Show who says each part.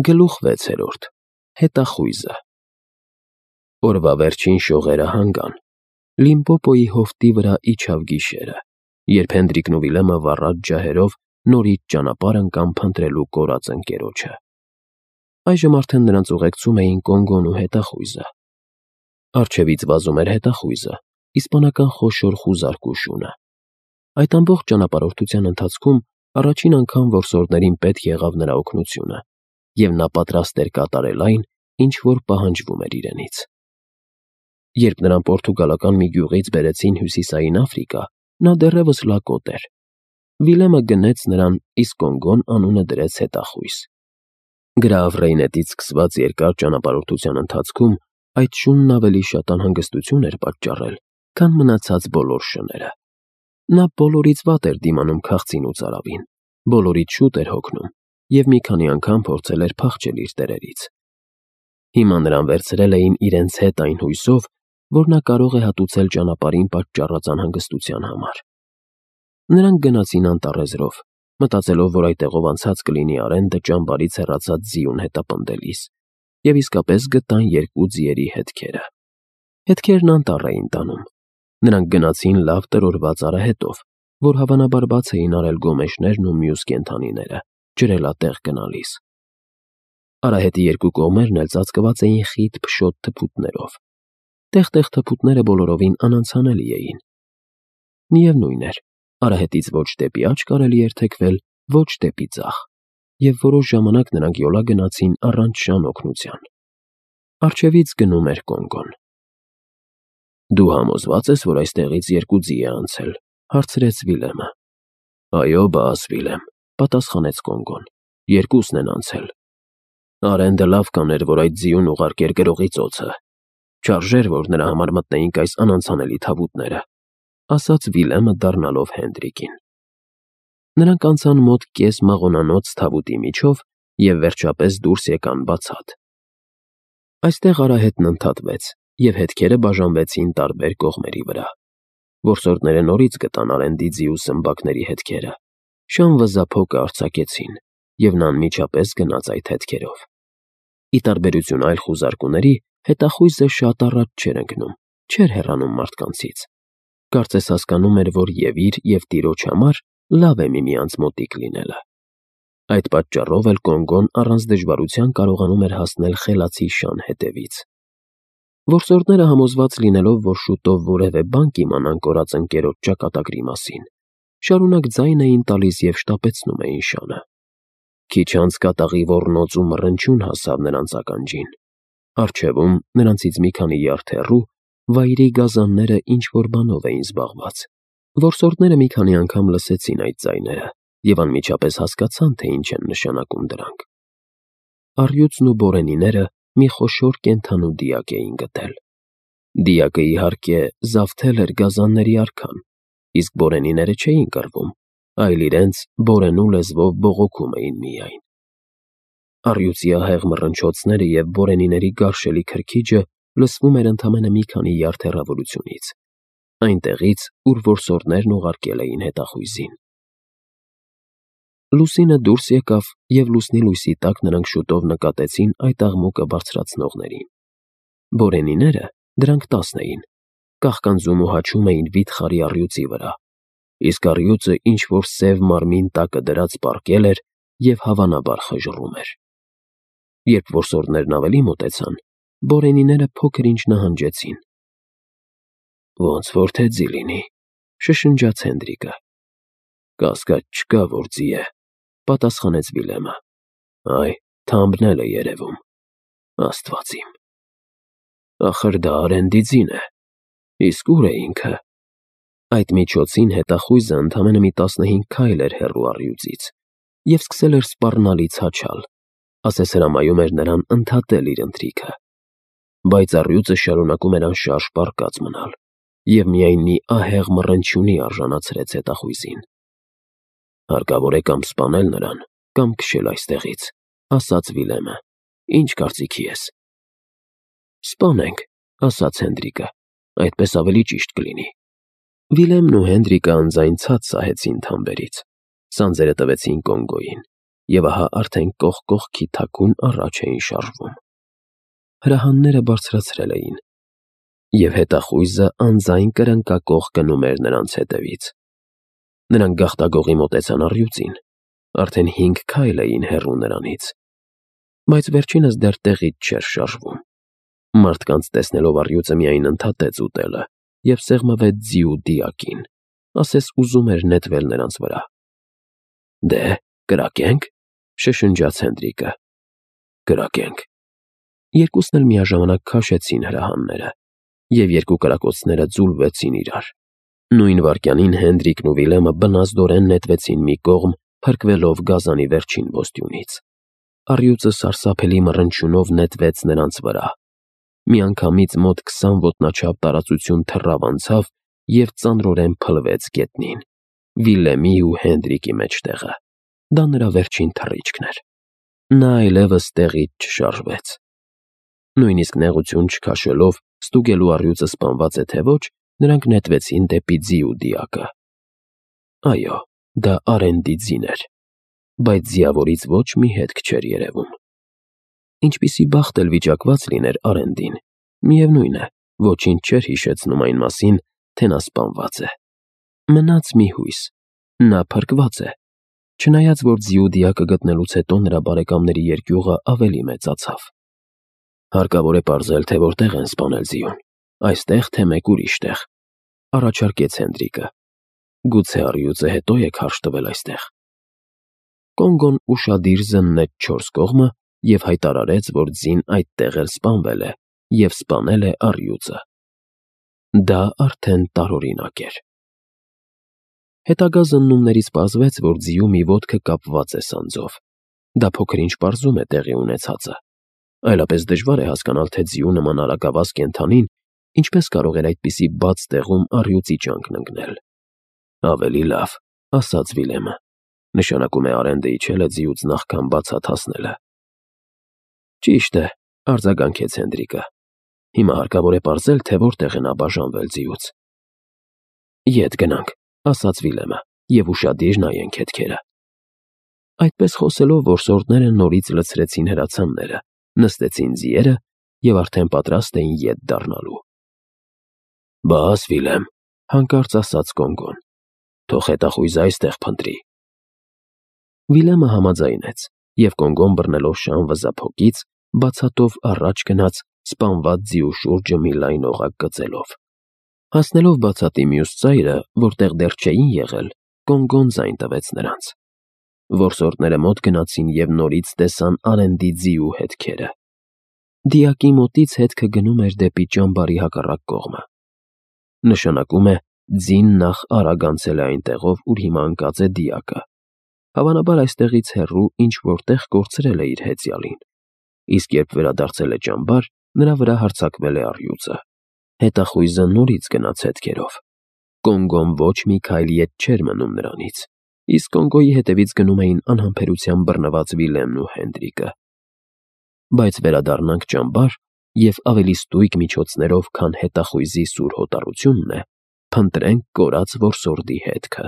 Speaker 1: Գլուխ 6. Հետախույզը։ Օրվա վերջին շողերը հանգան, Լիմպոպոյի հովտի վրա իջավ գիշերը, երբ Հենդրիկն ու Վիլյամը վառած ջահերով նորից ճանապարհ ընկան փնտրելու կորած ընկերոջը։ Այժմ արդեն նրանց ուղեկցում էին Կոնգոն ու հետախույզը։ Առջևից վազում էր հետախույզը, իսպանական խոշոր խուզարկու շունը։ Այդ ամբողջ ճանապարհորդության ընթացքում առաջին անգամ որսորդներին պետք եղավ նրա օգնությունը, և նա պատրաստ էր կատարել այն, ինչ որ պահանջվում էր իրենից։ Երբ նրան պորտուգալական մի գյուղից բերեցին Հյուսիսային Աֆրիկա, նա դեռևս լակոտ էր։ Վիլյամը գնեց նրան, իսկ Կոնգոն անունը դրեց հետախույզ։ Գրավ Ռեյնետից սկսված երկար ճանապարհորդության ընթացքում այդ շունն ավելի շատ անհանգստություն էր պատճառել, քան մնացած բոլոր շները։ Նա բոլորից վատ էր դիմանում քաղցին ու ծարավին, բոլորից շուտ էր հոգնում և մի քանի անգամ փորձել էր փախչել իր տերերից։ Հիմա նրան վերցրել էին իրենց հետ այն հույսով, որ նա կարող է հատուցել ճանապարհին պատճառած անհանգստության համար։ Նրանք գնացին անտառեզրով, մտածելով, որ այդտեղով անցած կլինի Արենդը ճամբարից հեռացած ձիուն հետապնդելիս, և իսկապես գտան երկու ձիերի հետքերը։ Հետքերն անտառ էին տանում։ Նրանք գնացին լավ տրորված արահետով, որ հավանաբար բաց էին արել գոմեշներն ու մյուս կենդանիները, ջրելատեղ գնալիս։ Արահետի երկու կողմերն էլ ծածկված էին խիտ փշոտ թփուտներով։ Տեղ-տեղ թփուտները բոլորովին անանցանելի էին։ Միևնույն էր, արահետից ոչ դեպի աջ կարելի էր թեքվել, ոչ դեպի ձախ, և որոշ ժամանակ նրանք յոլա գնացին առանց շան օգնության։ Առջևից գնում էր Կոնգոն։ «Դու համոզվա՞ծ ես, որ այստեղից երկու ձի է անցել», հարցրեց Վիլյամը։ «Այո, բաս, Վիլյամ», պատասխանեց Կոնգոն, «երկուսն են անցել։ Արենդը լավ կաներ, որ այդ ձիուն ուղարկեր գրողի ծոցը։ Չարժեր, որ նրա համար մտնեինք այս անանցանելի թավուտները», ասաց Վիլյամը դառնալով Հենդրիկին։ Նրանք անցան մոտ կես մաղոնանոց թավուտի միջով և վերջապես դուրս եկան բացատ։ Այստեղ արահետն ընդհատվեց, և հետքերը բաժանվեցին տարբեր կողմերի վրա։ Որսորդները նորից գտան Արենդի ձի ու սմբակների հետքերը, շան վզափոկը արձակեցին, և նա անմիջապես գնաց այդ հետքերով։ Ի տարբերություն այլ խուզարկուների, հետախույզը շատ առաջ չէր ընկնում, չէր հեռանում մարդկանցից։ Կարծես հասկանում էր, որ և իր, և տիրոջ համար լավ է միմյանց մոտիկ լինելը։ Այդ պատճառով էլ Կոնգոն առանց դժվարության կարողանում էր հասնել խելացի շան հետևից։ Որսորդները համոզված լինելով, որ շուտով որևէ բան կիմանան կորած ընկերոջ ճակատագրի մասին, շարունակ ձայն էին տալիս և շտապեցնում էին շանը։ Քիչ անց կատաղի ոռնոց ու մռնչյուն հասավ նրանց ականջին։ Առջևում, նրանցից մի քանի յարդ հեռու, վայրի գազանները ինչ-որ բանով էին զբաղված։ Որսորդները մի քանի անգամ լսեցին այդ ձայները և անմիջապես հասկացան, թե ինչ են նշանակում դրանք։ Առյուծն ու բորենիները մի խոշոր կենդանու դիակ էին գտել։ Դիակը, իհարկե, զավթել էր գազանների արքան, իսկ բորենիները չէին կռվում, այլ իրենց բորենու լեզվով բողոքում էին միայն։ Առյուծի ահեղ մռնչոցները և բորենիների գարշելի քրքիջը լսվում էր ընդամենը մի քանի յարդ հեռավորությունից, այնտեղից, ուր որսորդներն ուղարկել էին հետախույզին։ Լուսինը դուրս եկավ, և լուսնի լույսի տակ նրանք շուտով նկատեցին այդ աղմուկը բարձրացնողներին։ Բորենիները, դրանք 10 էին, կաղկանձում ու հաչում էին վիթխարի առյուծի վրա, իսկ առյուծը ինչ-որ սև մարմին տակը դրած պառկել էր և հավանաբար խժռում էր։ Երբ որսորդներն ավելի մոտեցան, բորենիները փոքր-ինչ նահանջեցին։ «Ոնց որ թե ձի լինի», շշնջաց Հենդրիկը։ «Կասկած չկա, որ ձի է», պատասխանեց Վիլյամը։ «Այ, թամբն էլ է երևում։ Աստված իմ։ Ախր դա Արենդի ձին է։ Իսկ ո՞ւր է ինքը»։ Այդ միջոցին հետախույզը ընդամենը մի 15 քայլ էր հեռու առյուծից և սկսել էր սպառնալից հաչալ, ասես հրամայում էր նրան ընդհատել իր ընթրիքը։ Բայց առյուծը շարունակում էր անշարժ պառկած մնալ, և միայն մի ահեղ մռնչյունի արժանացրեց հետախույզին։ «Հարկավոր է կամ սպանել նրան, կամ քշել այստեղից», ասաց Վիլյամը։ «Ինչ կարծիքի ես»։ «Սպանենք», ասաց Հենդրիկը, «այդպես ավելի ճիշտ կլինի»։ Վիլյամն ու Հենդրիկը անձայն ցած սահեցին թամբերից։ Սանձերը տվեցին Կոնգոյին, և ահա արդեն կողք կողքի թաքուն առաջ էին շարժվում։ Հրահանները բարձրացրել էին, և հետախույզը անձայն կրնկակող գնում էր նրանց հետևից։ Նրանք գաղտագողի մոտեցան առյուծին, արդեն 5 քայլ էին հեռու նրանից, բայց վերջինս դեռ տեղից չէր շարժվում։ Մարդկանց տեսնելով առյուծը միայն ընդհատեց ուտելը և սեղմվեց ձիու դիակին, ասես ուզում էր նետվել նրանց վրա։ «Դե, կրակե՞նք», շշնջաց Հենդրիկը։ «Կրակենք»։ Երկուսն էլ միաժամանակ քաշեցին հրահանները, և երկու կրակոցները ձուլվեցին իրար։ Նույն վայրկյանին Հենդրիկն ու Վիլյամը բնազդորեն նետվեցին մի կողմ, փրկվելով գազանի վերջին ոստյունից։ Առյուծը սարսափելի մռնչյունով նետվեց նրանց վրա։ Միանգամից մոտ 20 ոտնաչափ տարածություն թռավ անցավ և ծանրորեն փլվեց գետնին, Վիլյամի ու Հենդրիկի մեջտեղը։ Դա նրա վերջին թռիչքն էր։ Նա այլևս տեղից չշարժվեց։ Նույնիսկ նեղություն չքաշելով, ստուգելու առյուծը սպանված է թե ոչ, նրանք նետվեցին դեպի ձիու դիակը։ Այո, դա Արենդի ձին էր, բայց ձիավորից ոչ մի հետք չէր երևում։ Ինչպիսի բախտ էլ վիճակված լիներ Արենդին, միևնույն է, ոչինչ չէր հիշեցնում այն մասին, թե նա սպանված է։ Մնաց մի հույս. նա փրկված է, չնայած որ ձիու դիակը գտնելուց հետո նրա բարեկամների երկյուղը ավելի մեծացավ։ Հարկավոր է պարզել, թե որտեղ են սպանել ձիուն, այստեղ, թե մեկ ուրիշ տեղ, առաջարկեց Հենդրիկը։ Գուցե առյուծը հետո է քարշ տվել այստեղ։ Կոնգոն ուշադիր զննեց 4 կողմը և հայտարարեց, որ ձին այդտեղ էլ սպանվել է և սպանել է առյուծը։ Դա արդեն տարօրինակ էր։ Հետագա զննումներից պարզվեց, որ ձիու մի ոտքը կապված է սանձով։ Դա փոքր-ինչ պարզում է տեղի ունեցածը։ Այլապես դժվար է հասկանալ, թե ձիու նման արագավազ կենդանին ինչպես կարող էր այդպիսի բաց տեղում առյուծի ճանկն ընկնել։ Ավելի լավ, ասաց Վիլյամը, նշանակում է Արենդը իջել է ձիուց նախքան բացատ հասնելը։ Ճիշտ է, արձագանքեց Հենդրիկը։ Հիմա հարկավոր է պարզել, թե որտեղ է նա բաժանվել ձիուց։ Ետ գնանք, ասաց Վիլյամը, և ուշադիր նայենք հետքերը։ Այդպես խոսելով որսորդները նորից լցրեցին հրացանները, նստեցին ձիերը և արդեն պատրաստ էին ետ դառնալու։ Բաս, Վիլյամ, հանկարծ ասաց Կոնգոն, թող հետախույզը այստեղ փնտրի։ Վիլյամը համաձայնեց, և Կոնգոն բռնելով շան վզափոկից, բացատով առաջ գնաց, սպանված ձիու շուրջը մի լայն օղակ գծելով։ Հասնելով բացատի մյուս ծայրը, որտեղ դեռ չէին եղել, Կոնգոն ձայն տվեց նրանց։ Որսորդները մոտ գնացին և նորից տեսան Արենդի ձիու հետքերը։ Դիակի մոտից հետքը գնում էր դեպի ճամբարի հակառակ կողմը։ Նշանակում է, ձին նախ արագ անցել է այն տեղով, ուր հիմա ընկած է դիակը։ Հավանաբար այստեղից հեռու ինչ-որ տեղ կորցրել է իր հեծյալին, իսկ երբ վերադարձել է ճամբար, նրա վրա հարձակվել է առյուծը։ Հետախույզը նորից գնաց հետքերով։ Կոնգոն ոչ մի քայլ ետ չէր մնում նրանից, իսկ Կոնգոյի հետևից գնում էին անհամբերությամբ բռնված Վիլյամն ու Հենդրիկը։ Բայց վերադառնանք ճամբար և ավելի ստույգ միջոցներով, քան հետախույզի սուր հոտառությունն է, փնտրենք կորած որսորդի հետքը։